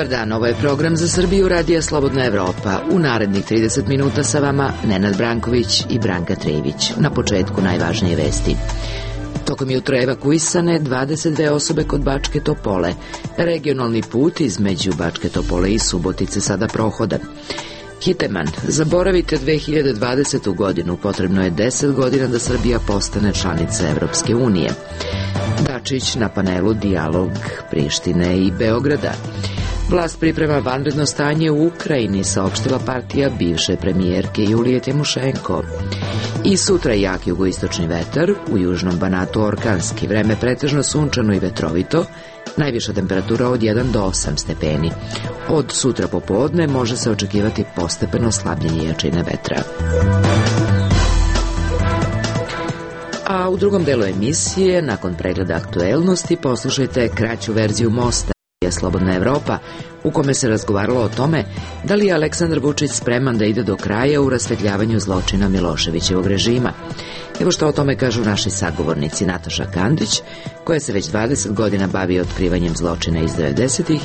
Dobar dan, ovo je program za Srbiju Radija Slobodna Evropa. U narednih 30 minuta sa vama Nenad Branković i Branka Trević. Na početku najvažnije vesti. Tokom jutra evakuisane 22 osobe kod Bačke Topole. Regionalni put između Bačke Topole i Subotice sada prohodan. Hiteman, zaboravite 2020. godinu, potrebno je 10 godina da Srbija postane članica Evropske unije. Dačić na panelu Dijalog Prištine i Beograda. Vlast priprema vanredno stanje u Ukrajini, saopštila partija bivše premijerke Julije Timošenko. I sutra jak jugoistočni vetar, u južnom Banatu orkanski, vreme pretežno sunčano i vetrovito, najviša temperatura od 1 do 8 stepeni. Od sutra popodne može se očekivati postepeno slabljenje jačine vetra. A u drugom delu emisije, nakon pregleda aktuelnosti, poslušajte kraću verziju Mosta je Slobodna Evropa, u kome se razgovaralo o tome da li je Aleksandar Vučić spreman da ide do kraja u rasvetljavanju zločina Miloševićevog režima. Evo što o tome kažu naši sagovornici Nataša Kandić, koja se već 20 godina bavi otkrivanjem zločina iz 90-ih,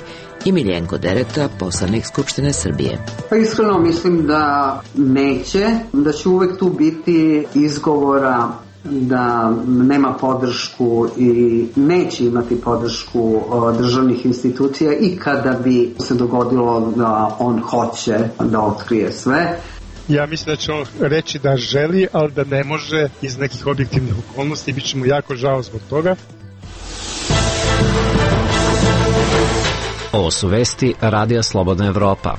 i Miljenko Dereta, poslanik Skupštine Srbije. Pa iskreno mislim da neće, da će uvek tu biti izgovora da nema podršku i neće imati podršku državnih institucija i kada bi se dogodilo da on hoće da otkrije sve. Ja mislim da će on reći da želi, ali da ne može iz nekih objektivnih okolnosti i bit će mu jako žao zbog toga. Ovo su vesti Radija Slobodna Evropa.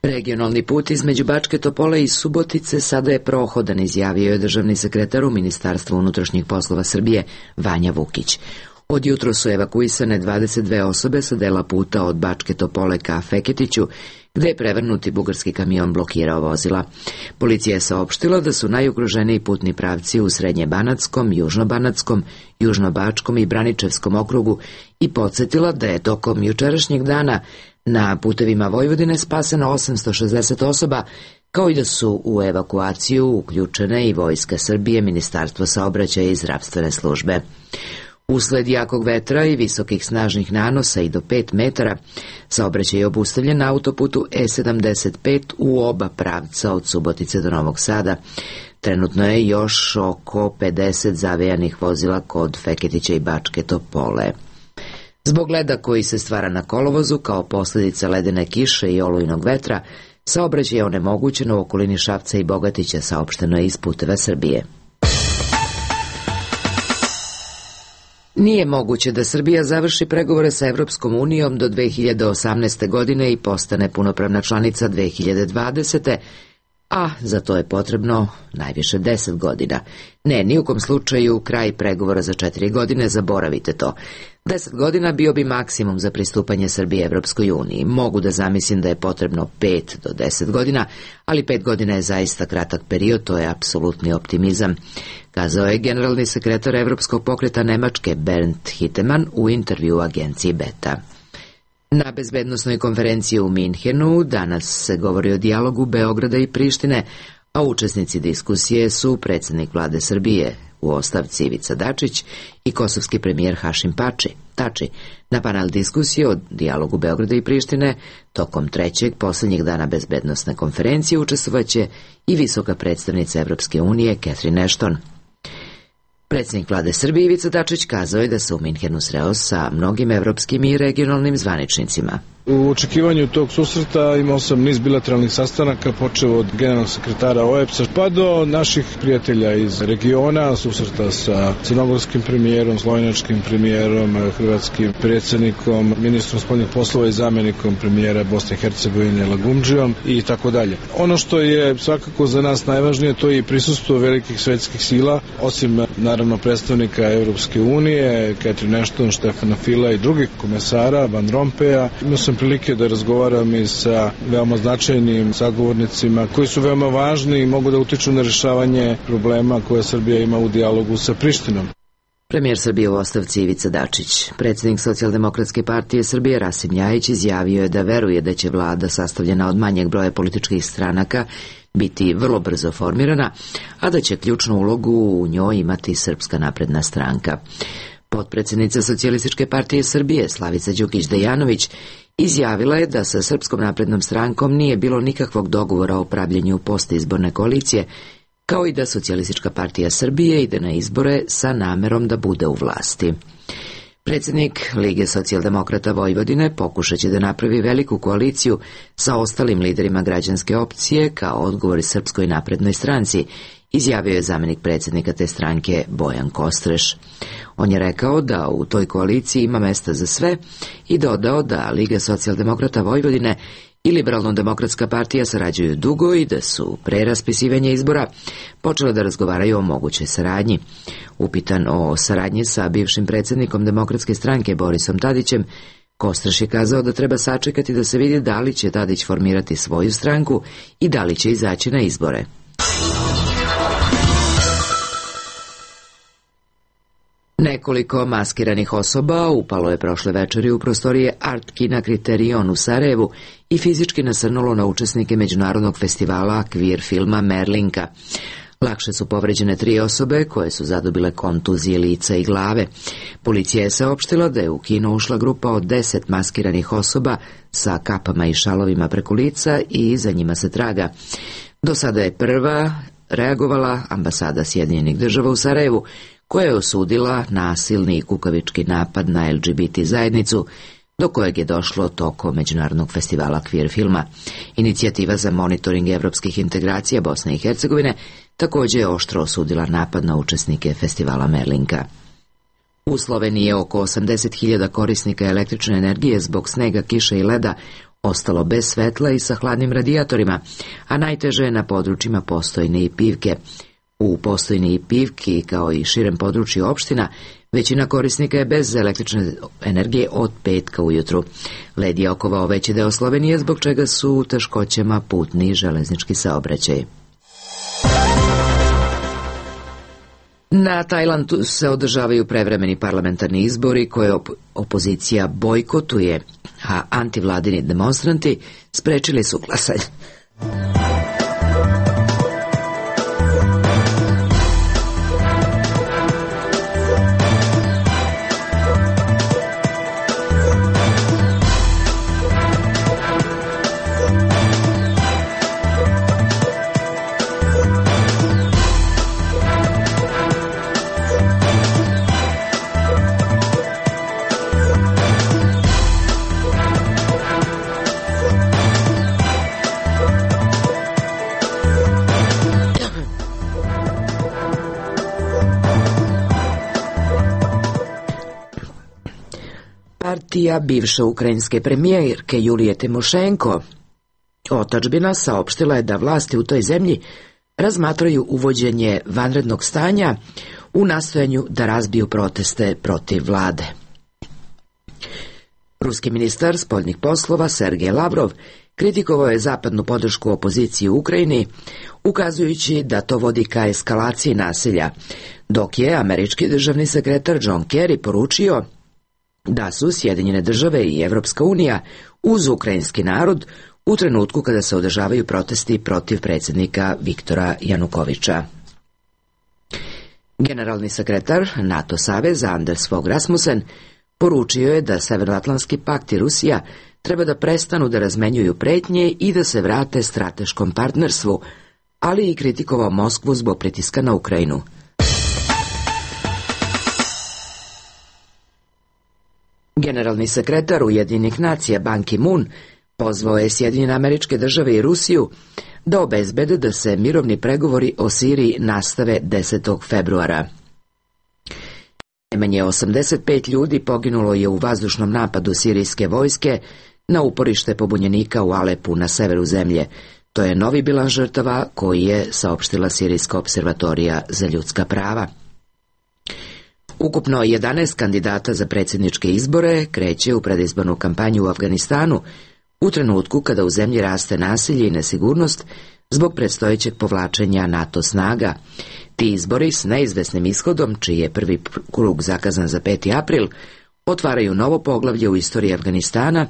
Regionalni put između Bačke Topole i Subotice sada je prohodan, izjavio je državni sekretar u Ministarstvu unutrašnjih poslova Srbije Vanja Vukić. Od jutro su evakuisane 22 osobe sa dela puta od Bačke Topole ka Feketiću, gde je prevrnuti bugarski kamion blokirao vozila. Policija je saopštila da su najugroženiji putni pravci u Srednjebanatskom, Južnobanatskom, Južnobačkom i Braničevskom okrugu i podsjetila da je tokom jučerašnjeg dana na putevima Vojvodine spaseno 860 osoba, kao i da su u evakuaciju uključene i Vojska Srbije, Ministarstvo saobraćaja i zdravstvene službe. Usled jakog vetra i visokih snažnih nanosa i do 5 metara, saobraćaj je obustavljen na autoputu E75 u oba pravca od Subotice do Novog Sada. Trenutno je još oko 50 zavejanih vozila kod Feketića i Bačke Topole. Zbog leda koji se stvara na kolovozu kao posljedica ledene kiše i olujnog vetra, saobraćaj je onemogućen u okolini Šapca i Bogatića, saopšteno je iz Puteva Srbije. Nije moguće da Srbija završi pregovore sa Evropskom unijom do 2018. godine i postane punopravna članica 2020. A za to je potrebno najviše 10 godina. Ne, ni u kom slučaju kraj pregovora za 4 godine, zaboravite to. 10 godina bio bi maksimum za pristupanje Srbije Evropskoj uniji. Mogu da zamislim da je potrebno 5 do 10 godina, ali 5 godina je zaista kratak period, to je apsolutni optimizam, kazao je generalni sekretar Evropskog pokreta Nemačke Bernd Hiteman u intervju u agenciji Beta. Na bezbednosnoj konferenciji u Minhenu danas se govori o dijalogu Beograda i Prištine, a učesnici diskusije su predsjednik vlade Srbije u ostavci Ivica Dačić i kosovski premijer Hašim Tači. Na panel diskusije o dijalogu Beograda i Prištine tokom trećeg posljednjeg dana bezbednosne konferencije učestvovaće i visoka predstavnica Evropske unije Catherine Ashton. Predsjednik vlade Srbije Ivica Dačić kazao je da se u Minhenu sreo sa mnogim evropskim i regionalnim zvaničnicima. U očekivanju tog susreta imao sam niz bilateralnih sastanaka, počeo od generalnog sekretara OEBS-a pa do naših prijatelja iz regiona, susreta sa crnogorskim premijerom, slovenačkim premijerom, hrvatskim predsjednikom, ministrom spoljnih poslova i zamjenikom premijera Bosne i Hercegovine Lagumdžijom i tako dalje. Ono što je svakako za nas najvažnije, to je i prisustvo velikih svetskih sila, osim naravno predstavnika Evropske unije, Catherine Ashton, Štefana Fila i drugih komesara, Van Rompeja. Imao sam prilike da razgovaram i sa veoma značajnim sagovornicima koji su veoma važni i mogu da utiču na rješavanje problema koje Srbija ima u dijalogu sa Prištinom. Premijer Srbije u ostavci Ivica Dačić. Predsjednik Socijaldemokratske partije Srbije Rasim Ljajić izjavio je da veruje da će vlada sastavljena od manjeg broja političkih stranaka biti vrlo brzo formirana, a da će ključnu ulogu u njoj imati Srpska napredna stranka. Potpredsednica Socijalističke partije Srbije Slavica Đukić-Dejanović izjavila je da sa Srpskom naprednom strankom nije bilo nikakvog dogovora o pravljenju postizborne koalicije, kao i da Socijalistička partija Srbije ide na izbore sa namerom da bude u vlasti. Predsednik Lige socijaldemokrata Vojvodine pokušaće da napravi veliku koaliciju sa ostalim liderima građanske opcije kao odgovor Srpskoj naprednoj stranci, izjavio je zamenik predsednika te stranke Bojan Kostreš. On je rekao da u toj koaliciji ima mesta za sve i dodao da Liga socijaldemokrata Vojvodine i Liberalno-demokratska partija sarađuju dugo i da su pre raspisivanja izbora počele da razgovaraju o mogućoj saradnji. Upitan o saradnji sa bivšim predsednikom Demokratske stranke Borisom Tadićem, Kostreš je kazao da treba sačekati da se vidi da li će Tadić formirati svoju stranku i da li će izaći na izbore. Nekoliko maskiranih osoba upalo je prošle večeri u prostorije Art kina Kriterion u Sarajevu i fizički nasrnulo na učesnike međunarodnog festivala kvir filma Merlinka. Lakše su povređene 3 osobe koje su zadobile kontuzije lica i glave. Policija je saopštila da je u kino ušla grupa od 10 maskiranih osoba sa kapama i šalovima preko lica i za njima se traga. Do sada je prva reagovala ambasada Sjedinjenih država u Sarajevu, koja je osudila nasilni i kukavički napad na LGBT zajednicu, do kojeg je došlo tokom međunarodnog festivala kvir filma. Inicijativa za monitoring evropskih integracija Bosne i Hercegovine također je oštro osudila napad na učesnike festivala Merlinka. U Sloveniji je oko 80.000 korisnika električne energije zbog snega, kiše i leda ostalo bez svetla i sa hladnim radijatorima, a najteže je na područjima Postojne i Pivke. U Postojni i Pivki, kao i širem području opština, većina korisnika je bez električne energije od petka ujutru. Led je okovao veći deo Slovenije, zbog čega su u teškoćama putni i železnički saobraćaj. Na Tajlandu se održavaju prevremeni parlamentarni izbori koje opozicija bojkotuje, a antivladini demonstranti sprečili su glasanje. Partija bivše ukrajinske premijerke Julije Timošenko, otadžbina, saopštila je da vlasti u toj zemlji razmatraju uvođenje vanrednog stanja u nastojanju da razbiju proteste protiv vlade. Ruski ministar spoljnih poslova Sergej Lavrov kritikovao je zapadnu podršku opoziciji u Ukrajini, ukazujući da to vodi ka eskalaciji nasilja, dok je američki državni sekretar John Kerry poručio da su Sjedinjene države i Evropska unija uz ukrajinski narod u trenutku kada se održavaju protesti protiv predsjednika Viktora Janukoviča. Generalni sekretar NATO saveza Anders Fogh Rasmussen poručio je da Severnoatlantski pakt i Rusija treba da prestanu da razmenjuju pretnje i da se vrate strateškom partnerstvu, ali i kritikovao Moskvu zbog pritiska na Ukrajinu. Generalni sekretar Ujedinjenih nacija Ban Ki-moon pozvao je Sjedinjene Američke Države i Rusiju da obezbede da se mirovni pregovori o Siriji nastave 10. februara. Najmanje 85 ljudi poginulo je u vazdušnom napadu sirijske vojske na uporište pobunjenika u Alepu na severu zemlje. To je novi bilans žrtava koji je saopštila Sirijska observatorija za ljudska prava. Ukupno 11 kandidata za predsjedničke izbore kreće u predizbornu kampanju u Afganistanu u trenutku kada u zemlji raste nasilje i nesigurnost zbog predstojećeg povlačenja NATO snaga. Ti izbori s neizvesnim ishodom, čiji je prvi krug zakazan za 5. april, otvaraju novo poglavlje u istoriji Afganistana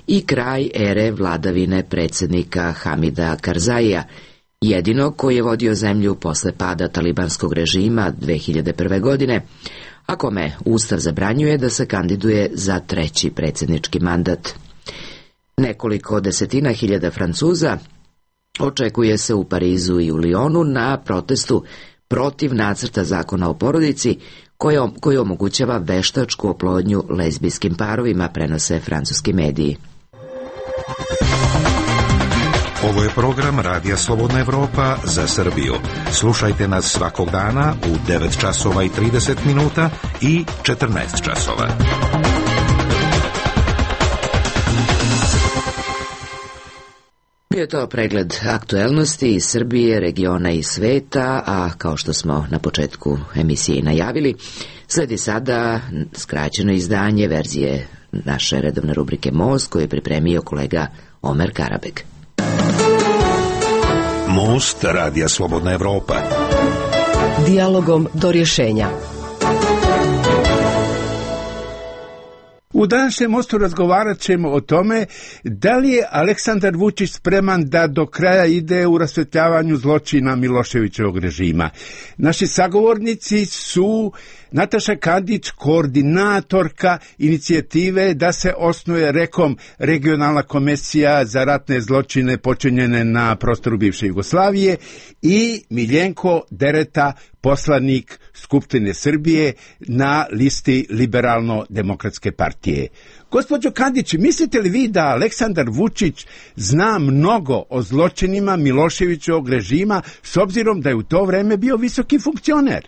i kraj ere vladavine predsjednika Hamida Karzaija, jedinog koji je vodio zemlju posle pada talibanskog režima 2001. godine, a kome Ustav zabranjuje da se kandiduje za 3. predsjednički mandat. Nekoliko desetina hiljada Francuza očekuje se u Parizu i u Lyonu na protestu protiv nacrta zakona o porodici koji omogućava veštačku oplodnju lezbijskim parovima, prenose francuski mediji. Ovo je program Radija Slobodna Evropa za Srbiju. Slušajte nas svakog dana u 9 časova i 30 minuta i 14 časova. Bio je to pregled aktuelnosti iz Srbije, regiona i sveta, a kao što smo na početku emisije najavili, sledi sada skraćeno izdanje verzije naše redovne rubrike Most, koju je pripremio kolega Omer Karabeg. Most Radija Slobodna Evropa. Dijalogom do rješenja. U današnjem Mostu razgovarat ćemo o tome da li je Aleksandar Vučić spreman da do kraja ide u rasvetljavanju zločina Miloševićevog režima. Naši sagovornici su Nataša Kandić, koordinatorka inicijative da se osnuje regionalna komisija za ratne zločine počinjene na prostoru bivše Jugoslavije, i Miljenko Dereta, poslanik Skupštine Srbije na listi Liberalno-demokratske partije. Gospođo Kandić, mislite li vi da Aleksandar Vučić zna mnogo o zločinima Miloševićevog režima, s obzirom da je u to vreme bio visoki funkcioner?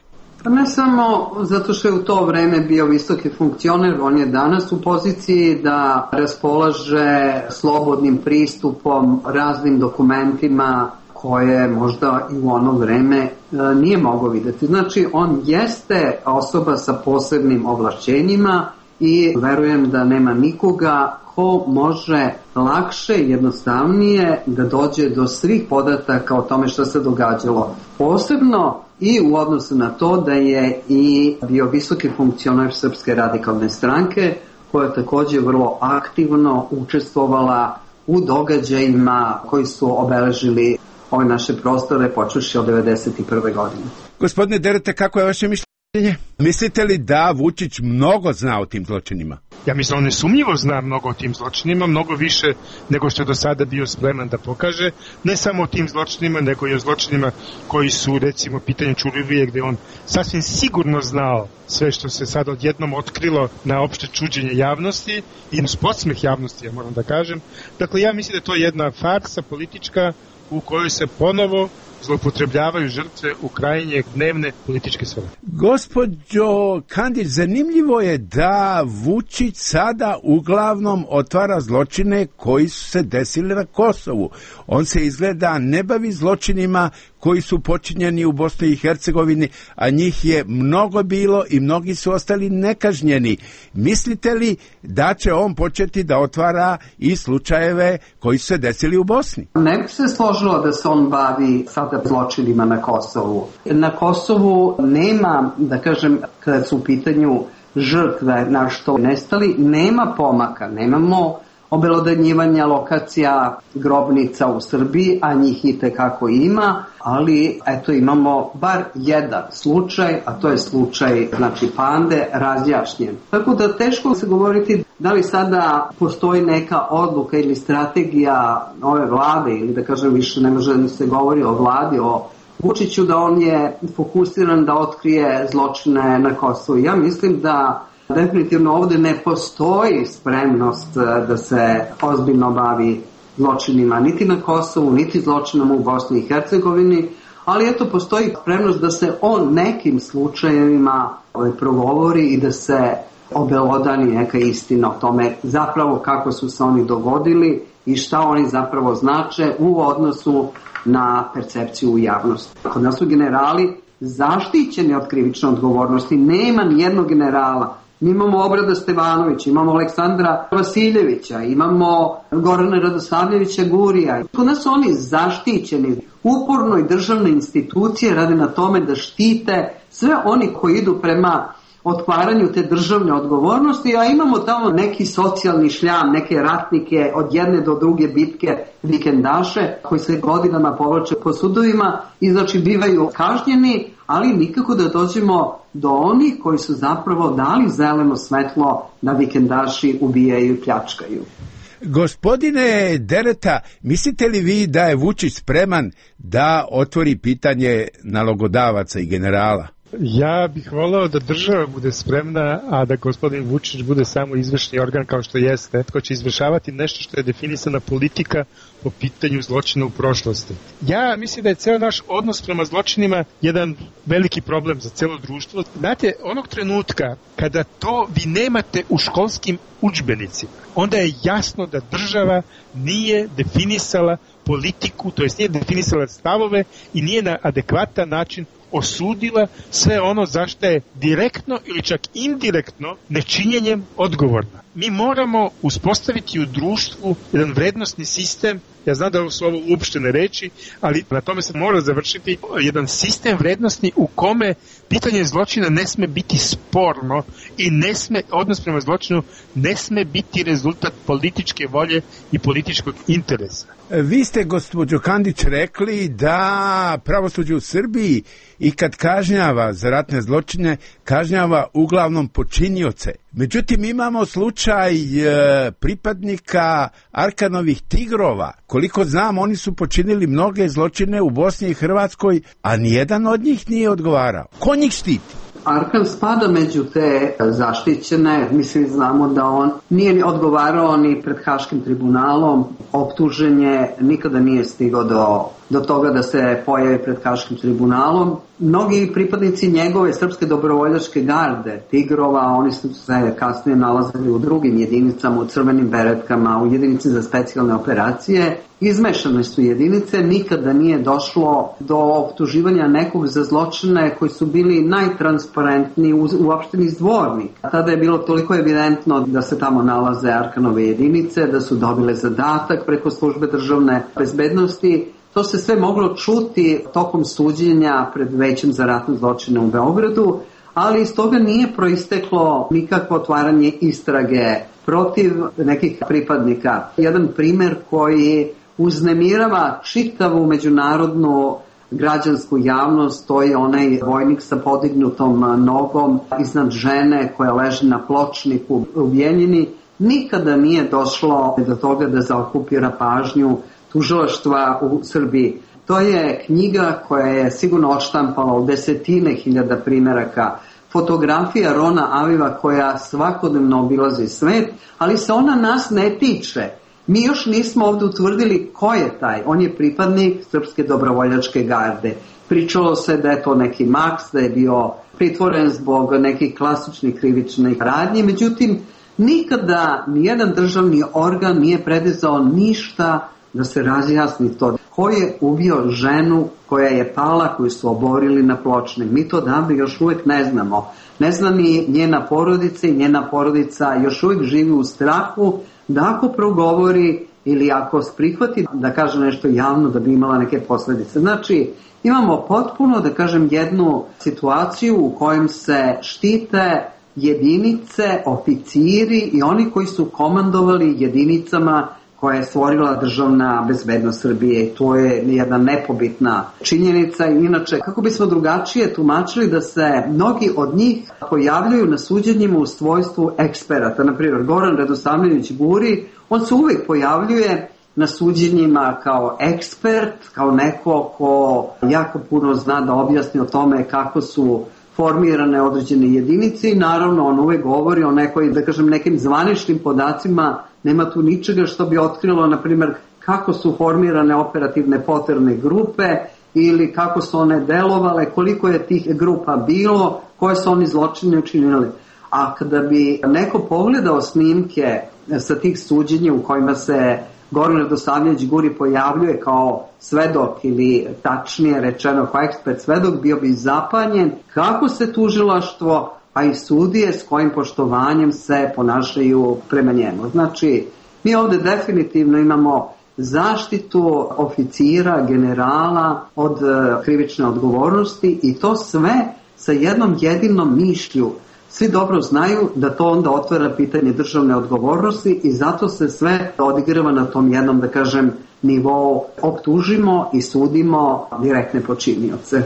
Ne samo zato što je u to vreme bio visoki funkcioner, on je danas u poziciji da raspolaže slobodnim pristupom raznim dokumentima koje možda i u ono vreme nije mogao videti. Znači, on jeste osoba sa posebnim ovlašćenjima i verujem da nema nikoga ko može lakše i jednostavnije da dođe do svih podataka o tome što se događalo. Posebno i u odnosu na to da je i bio visoki funkcioner Srpske radikalne stranke, koja je također vrlo aktivno učestvovala u događajima koji su obeležili ove naše prostore počevši od 1991. godine. Gospodine Derete, kako je vaše mišljenje? Mislite li da Vučić mnogo zna o tim zločinima? Ja mislim, on nesumnjivo zna mnogo o tim zločinima, mnogo više nego što je do sada bio spreman da pokaže, ne samo o tim zločinima, nego i o zločinima koji su, recimo, pitanje Ćuruvije, gde on sasvim sigurno znao sve što se sad odjednom otkrilo na opšte čuđenje javnosti i na podsmeh javnosti, ja moram da kažem. Dakle, ja mislim da to je jedna farsa politička u kojoj se ponovo zloupotrebljavaju žrtve u krajnje dnevne političke svrhe. Gospođo Kandić, zanimljivo je da Vučić sada uglavnom otvara zločine koji su se desili na Kosovu. On se izgleda ne bavi zločinima koji su počinjeni u Bosni i Hercegovini, a njih je mnogo bilo i mnogi su ostali nekažnjeni. Mislite li da će on početi da otvara i slučajeve koji su se desili u Bosni? Ne bi se složilo da se on bavi sada zločinima na Kosovu. Na Kosovu nema, da kažem, kada su u pitanju žrtve na što nestali, nema pomaka, nemamo obelodanjivanja lokacija grobnica u Srbiji, a njih i tekako ima, ali eto imamo bar jedan slučaj, a to je slučaj, znači, Pande, razjašnjen. Tako da teško se govoriti da li sada postoji neka odluka ili strategija ove vlade, ili da kažem više ne može da se govori o vladi, o Vučiću, da on je fokusiran da otkrije zločine na Kosovu. Ja mislim da definitivno ovdje ne postoji spremnost da se ozbiljno bavi zločinima niti na Kosovu, niti zločinom u Bosni i Hercegovini, ali eto postoji spremnost da se o nekim slučajevima progovori i da se obelodani neka istina o tome zapravo kako su se oni dogodili i šta oni zapravo znače u odnosu na percepciju u javnosti. Kod nas su generali zaštićeni od krivične odgovornosti, nema nijednog generala. Mi imamo Obrada Stevanovića, imamo Aleksandra Vasiljevića, imamo Gorana Radosavljevića Gurija. Kod nas su oni zaštićeni. Uporno i državne institucije rade na tome da štite sve oni koji idu prema otkvaranju te državne odgovornosti, a imamo tamo neki socijalni šljam, neke ratnike od jedne do druge bitke, vikendaše, koji se godinama povlače po sudovima i znači bivaju kažnjeni, ali nikako da dođemo do onih koji su zapravo dali zeleno svetlo da vikendaši ubijaju i pljačkaju. Gospodine Dereta, mislite li vi da je Vučić spreman da otvori pitanje nalogodavaca i generala? Ja bih voleo da država bude spremna, a da gospodin Vučić bude samo izvršni organ kao što jeste, ko će izvršavati nešto što je definisana politika po pitanju zločina u prošlosti. Ja mislim da je ceo naš odnos prema zločinima jedan veliki problem za celo društvo. Znate, onog trenutka kada to vi nemate u školskim udžbenicima, onda je jasno da država nije definisala politiku, to jest nije definisala stavove i nije na adekvatan način osudila sve ono zašto je direktno ili čak indirektno nečinjenjem odgovorna. Mi moramo uspostaviti u društvu jedan vrednostni sistem, ja znam da su ovo uopštene reči, ali na tome se mora završiti jedan sistem vrednostni u kome pitanje zločina ne sme biti sporno i odnos prema zločinu ne sme biti rezultat političke volje i političkog interesa. Vi ste, gospođo Kandić, rekli da pravosuđe u Srbiji i kad kažnjava za ratne zločine, kažnjava uglavnom počinioce. Međutim, imamo slučaj pripadnika Arkanovih tigrova. Koliko znam, oni su počinili mnoge zločine u Bosni i Hrvatskoj, a nijedan od njih nije odgovarao. Ko njih štiti? Arkan spada među te zaštićene, mislim znamo da on nije odgovarao ni pred Haškim tribunalom, optuženje nikada nije stigao do toga da se pojavi pred Haškim tribunalom. Mnogi pripadnici njegove srpske dobrovoljačke garde, tigrova, oni su se kasnije nalazili u drugim jedinicama, u crvenim beretkama, u jedinici za specijalne operacije. Izmešane su jedinice, nikada nije došlo do optuživanja nekog za zločine koji su bili najtransparentniji uopšte iz Dvornika. Tada je bilo toliko evidentno da se tamo nalaze Arkanove jedinice, da su dobile zadatak preko službe državne bezbednosti. To se sve moglo čuti tokom suđenja pred Većem za ratne zločine u Beogradu, ali iz toga nije proisteklo nikakvo otvaranje istrage protiv nekih pripadnika. Jedan primer koji uznemirava čitavu međunarodnu građansku javnost, to je onaj vojnik sa podignutom nogom iznad žene koja leži na pločniku u Bjeljini. Nikada nije došlo do toga da zaokupira pažnju tužilaštva u Srbiji. To je knjiga koja je sigurno odštampala u desetine hiljada primeraka, fotografija Rona Aviva koja svakodnevno obilazi svet, ali se ona nas ne tiče. Mi još nismo ovdje utvrdili ko je taj. On je pripadnik Srpske dobrovoljačke garde. Pričalo se da je to neki Maks, da je bio pritvoren zbog nekih klasičnih krivičnih radnji, međutim nikada nijedan državni organ nije predizao ništa da se razjasni to. Ko je ubio ženu koja je pala, koju su oborili na pločnik? Mi to davno još uvijek ne znamo. Ne zna ni njena porodica i njena porodica još uvijek živi u strahu da ako progovori ili ako prihvati da kaže nešto javno da bi imala neke posljedice. Znači, imamo potpuno, da kažem, jednu situaciju u kojem se štite jedinice, oficiri i oni koji su komandovali jedinicama koja je stvorila državna bezbednost Srbije. To je jedna nepobitna činjenica. Inače, kako bismo drugačije tumačili da se mnogi od njih pojavljuju na suđenjima u svojstvu eksperata. Naprimjer, Goran Radosavljević Guri, on se uvijek pojavljuje na suđenjima kao ekspert, kao neko ko jako puno zna da objasni o tome kako su formirane određene jedinice i naravno on uvijek govori o nekoj, da kažem, nekim zvaničnim podacima. Nema tu ničega što bi otkrilo, na primjer, kako su formirane operativne poterne grupe ili kako su one delovale, koliko je tih grupa bilo, koje su oni zločine učinili. A kada bi neko pogledao snimke sa tih suđenja u kojima se Goran Radosavljević Guri pojavljuje kao svedok ili tačnije rečeno kao ekspert svedok, bio bi zapanjen kako se tužilaštvo pa i sudije s kojim poštovanjem se ponašaju prema njemu. Znači, mi ovdje definitivno imamo zaštitu oficira, generala od krivične odgovornosti i to sve sa jednom jedinom mišlju. Svi dobro znaju da to onda otvara pitanje državne odgovornosti i zato se sve odigrava na tom jednom, da kažem, nivou. Optužimo i sudimo direktne počinioce.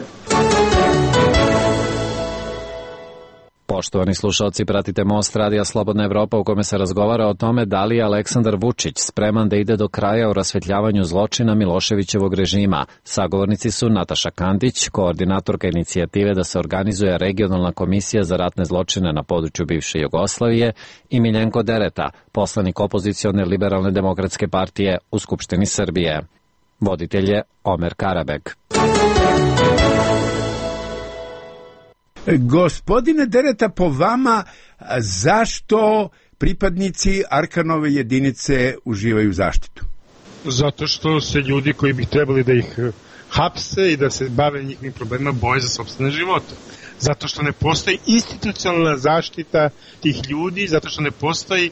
Poštovani slušalci, pratite Most radija Slobodna Evropa u kome se razgovara o tome da li je Aleksandar Vučić spreman da ide do kraja u rasvetljavanju zločina Miloševićevog režima. Sagovornici su Nataša Kandić, koordinatorka inicijative da se organizuje regionalna komisija za ratne zločine na području bivše Jugoslavije, i Miljenko Dereta, poslanik opozicione Liberalne demokratske partije u Skupštini Srbije. Voditelj je Omer Karabeg. Gospodine Dereta, po vama, zašto pripadnici Arkanove jedinice uživaju zaštitu? Zato što se ljudi koji bi trebali da ih hapse i da se bave njihovim problemima boje za sopstvene živote. Zato što ne postoji institucionalna zaštita tih ljudi, zato što ne postoji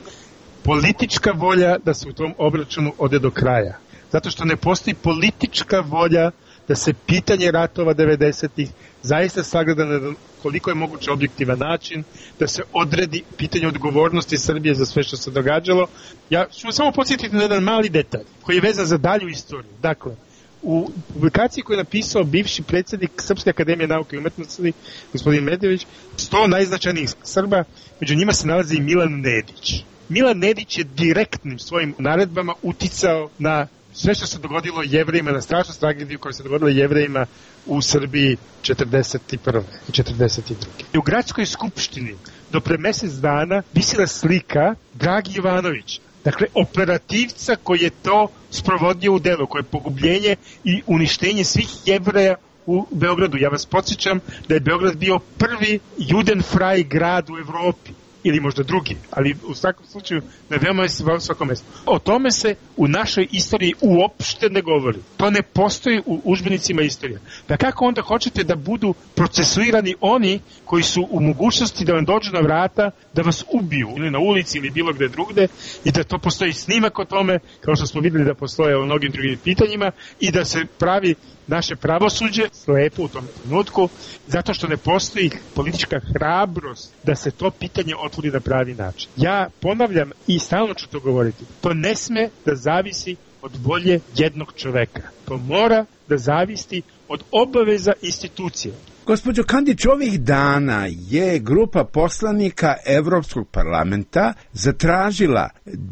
politička volja da se u tom obračunu ode do kraja. Zato što ne postoji politička volja da se pitanje ratova 90-ih zaista sagleda na koliko je moguće objektivan način, da se odredi pitanje odgovornosti Srbije za sve što se događalo. Ja ću samo podsjetiti na jedan mali detalj koji je vezan za dalju istoriju. Dakle, u publikaciji koju je napisao bivši predsjednik Srpske akademije nauke i umetnosti, gospodin Medvedević, 100 najznačajnijih Srba, među njima se nalazi i Milan Nedić. Milan Nedić je direktnim svojim naredbama uticao na sve što se dogodilo Jevrejima, na strašnu tragediju koja se dogodila Jevrejima u Srbiji 1941. i 1942. U gradskoj skupštini do pre mesec dana visila slika Dragi Jovanović, dakle operativca koji je to sprovodio u delo, koje je pogubljenje i uništenje svih Jevreja u Beogradu. Ja vas podsjećam da je Beograd bio prvi judenfraj grad u Evropi, ili možda drugi, ali u svakom slučaju na veoma svakom mjestu. O tome se u našoj istoriji uopšte ne govori. To ne postoji u udžbenicima istorije. Pa kako onda hoćete da budu procesuirani oni koji su u mogućnosti da vam dođu na vrata, da vas ubiju ili na ulici ili bilo gde drugde, i da to postoji snimak o tome, kao što smo videli da postoje o mnogim drugim pitanjima, i da se pravi naše pravosuđe slepo u tom trenutku, zato što ne postoji politička hrabrost da se to pitanje otvori na pravi način. Ja ponavljam i stalno ću to govoriti, to ne sme da zavisi od volje jednog čoveka. To mora da zavisi od obaveza institucije. Gospođo Kandić, ovih dana je grupa poslanika Evropskog parlamenta zatražila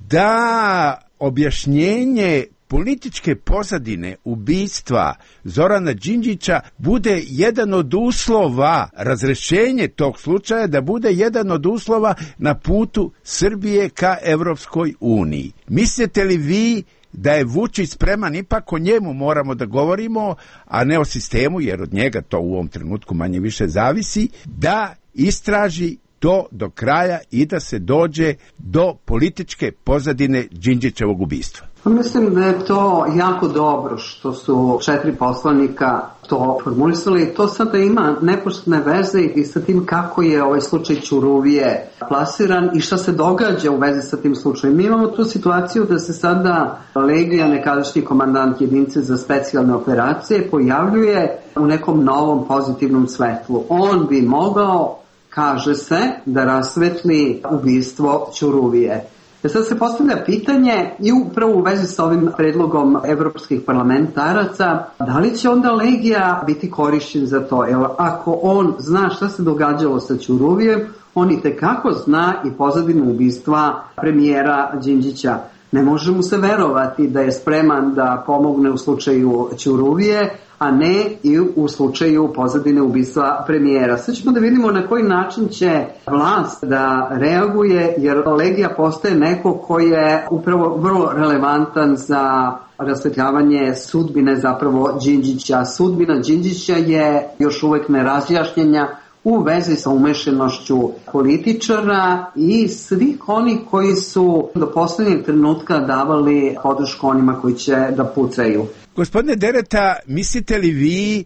da objašnjenje političke pozadine ubistva Zorana Đinđića bude jedan od uslova, razrešenje tog slučaja da bude jedan od uslova na putu Srbije ka Evropskoj uniji. Mislite li vi da je Vučić spreman, ipak o njemu moramo da govorimo, a ne o sistemu, jer od njega to u ovom trenutku manje više zavisi, da istraži to do kraja i da se dođe do političke pozadine Đinđićevog ubistva? Mislim da je to jako dobro što su 4 poslanika to formulisali. To sada ima neposredne veze i sa tim kako je ovaj slučaj Ćuruvije plasiran i šta se događa u vezi sa tim slučajem. Mi imamo tu situaciju da se sada Legija, nekadašnji komandant jedinice za specijalne operacije, pojavljuje u nekom novom pozitivnom svetlu. On bi mogao, kaže se, da rasvetli ubistvo Ćuruvije. Sad se postavlja pitanje i upravo u vezi sa ovim predlogom evropskih parlamentaraca, da li će onda Legija biti korišćen za to? Jer ako on zna šta se događalo sa Ćuruvijem, on i tekako zna i pozadinu ubistva premijera Đinđića. Ne može mu se verovati da je spreman da pomogne u slučaju Ćuruvije, a ne i u slučaju pozadine ubistva premijera. Sad ćemo da vidimo na koji način će vlast da reaguje, jer Legija postaje neko koji je upravo vrlo relevantan za rasvetljavanje sudbine zapravo Đinđića. Sudbina Đinđića je još uvek nerazjašnjenja u vezi sa umešanošću političara i svih onih koji su do poslednjeg trenutka davali podršku onima koji će da pucaju. Gospodine Dereta, mislite li vi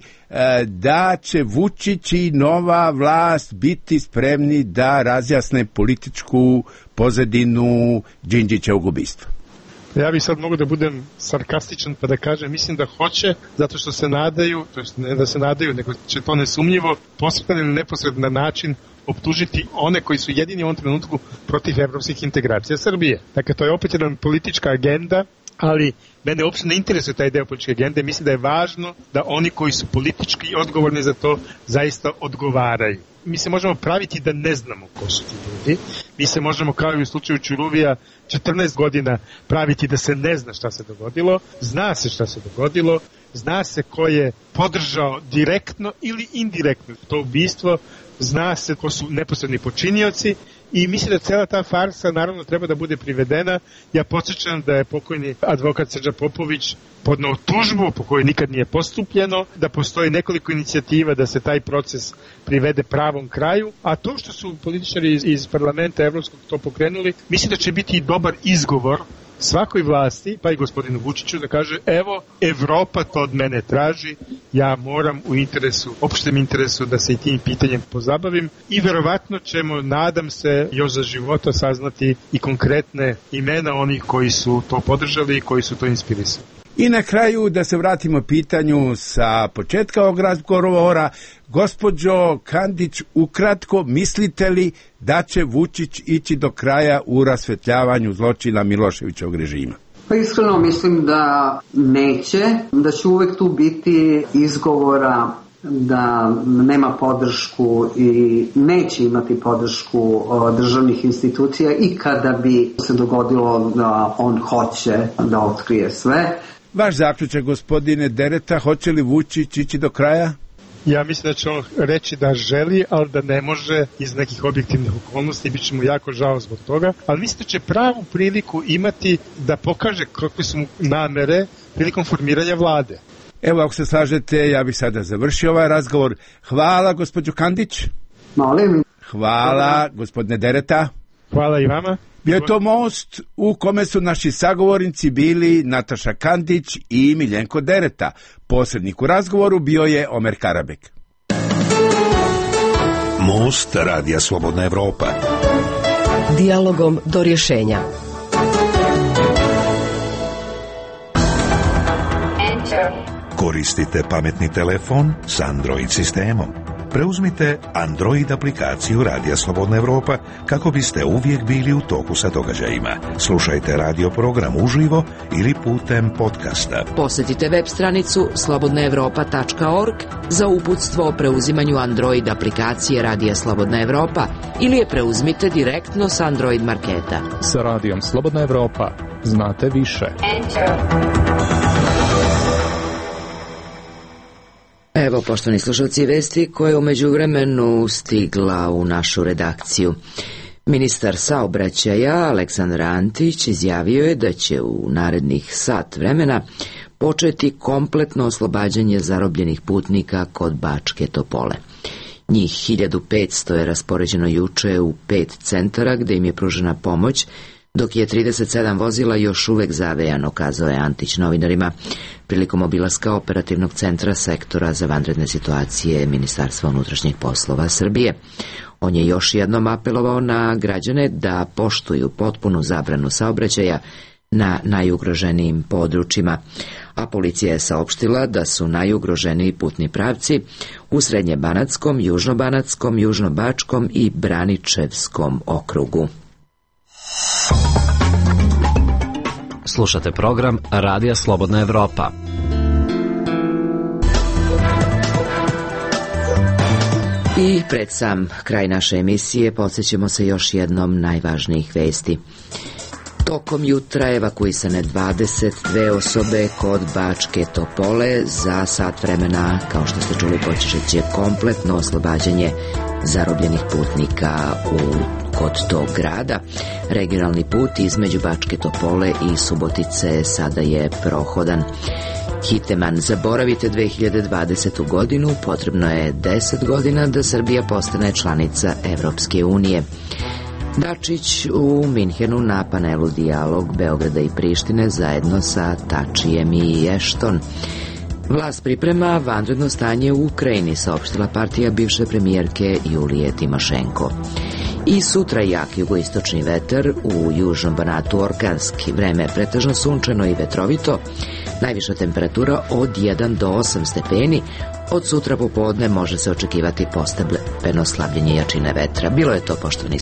da će Vučić i nova vlast biti spremni da razjasne političku pozadinu Đinđićevog ubistva? Ja bih sad mogu da budem sarkastičan pa da kažem, mislim da hoće, zato što se nadaju, to jest ne da se nadaju, nego će to nesumnjivo posredan ili neposredan način optužiti one koji su jedini u ovom trenutku protiv evropskih integracija Srbije. Dakle, to je opet jedna politička agenda ali mene uopšte ne interesuje taj deo političke agende. Mislim da je važno da oni koji su politički odgovorni za to zaista odgovaraju. Mi se možemo praviti da ne znamo ko su ti ljudi. Mi se možemo, kao i u slučaju Ćuruvija, 14 godina praviti da se ne zna šta se dogodilo. Zna se šta se dogodilo. Zna se ko je podržao direktno ili indirektno to ubistvo. Zna se ko su neposredni počinioci. I mislim da cela ta farsa naravno treba da bude privedena. Ja podsjećam da je pokojni advokat Srđan Popović podneo tužbu po kojoj nikad nije postupljeno, da postoji nekoliko inicijativa da se taj proces privede pravom kraju, a to što su političari iz parlamenta evropskog to pokrenuli, mislim da će biti i dobar izgovor svakoj vlasti, pa i gospodinu Vučiću, da kaže evo, Evropa to od mene traži, ja moram u interesu, opštem interesu da se i tim pitanjem pozabavim i verovatno ćemo, nadam se, još za života saznati i konkretne imena onih koji su to podržali i koji su to inspirisali. I na kraju da se vratimo pitanju sa početka ovog razgovora. Gospođo Kandić, ukratko, mislite li da će Vučić ići do kraja u rasvetljavanju zločina Miloševićevog režima? Pa iskreno mislim da neće, da će uvek tu biti izgovora da nema podršku i neće imati podršku državnih institucija i kada bi se dogodilo da on hoće da otkrije sve. Vaš zaključak, gospodine Dereta, hoće li Vučić ići do kraja? Ja mislim da će on reći da želi, ali da ne može iz nekih objektivnih okolnosti, bit će mu jako žao zbog toga, ali mislim da će pravu priliku imati da pokaže kakve su mu namere prilikom formiranja vlade. Evo, ako se slažete, ja bih sada završio ovaj razgovor. Hvala, gospođo Kandić. Molim. Hvala, gospodine Dereta. Hvala i vama. Bio je to Most u kome su naši sagovornici bili Nataša Kandić i Miljenko Dereta. Posrednik u razgovoru bio je Omer Karabek. Most Radija Slobodna Evropa. Dijalogom do rješenja. Koristite pametni telefon s Android sistemom. Preuzmite Android aplikaciju Radija Slobodna Evropa kako biste uvijek bili u toku sa događajima. Slušajte radio program uživo ili putem podcasta. Posjetite web stranicu slobodnaevropa.org za uputstvo o preuzimanju Android aplikacije Radija Slobodna Evropa ili je preuzmite direktno s Android marketa. Sa Radijom Slobodna Evropa znate više. Evo, poštovani slušalci, vesti koje u međuvremenu stigla u našu redakciju. Ministar saobraćaja Aleksandar Antić izjavio je da će u narednih sat vremena početi kompletno oslobađanje zarobljenih putnika kod Bačke Topole. Njih 1500 je raspoređeno juče u 5 centara gde im je pružena pomoć, dok je 37 vozila još uvek zavejano, kazao je Antić novinarima prilikom obilaska operativnog centra sektora za vanredne situacije Ministarstva unutrašnjih poslova Srbije. On je još jednom apelovao na građane da poštuju potpunu zabranu saobraćaja na najugroženijim područjima, a policija je saopštila da su najugroženiji putni pravci u Srednjebanatskom, Južnobanatskom, Južnobačkom i Braničevskom okrugu. Slušate program Radija Slobodna Evropa. I pred sam kraj naše emisije podsjećamo se još jednom najvažnijih vesti. Tokom jutra evakuisane 22 osobe kod Bačke Topole. Za sat vremena, kao što ste čuli, počet će kompletno oslobađanje zarobljenih putnika kod tog grada. Regionalni put između Bačke Topole i Subotice sada je prohodan. Hiteman, zaboravite 2020. godinu, potrebno je 10 godina da Srbija postane članica Evropske unije. Dačić u Minhenu na panelu Dijalog Beograda i Prištine zajedno sa Tačijem i Ešton. Vlast priprema vanredno stanje u Ukrajini, saopštila partija bivše premijerke Julije Timošenko. I sutra jak jugoistočni vetar, u južnom Banatu orkanski, vreme je pretežno sunčano i vetrovito, najviša temperatura od 1 do 8 stepeni, od sutra popodne može se očekivati postepeno slabljenje jačine vetra. Bilo je to, poštovani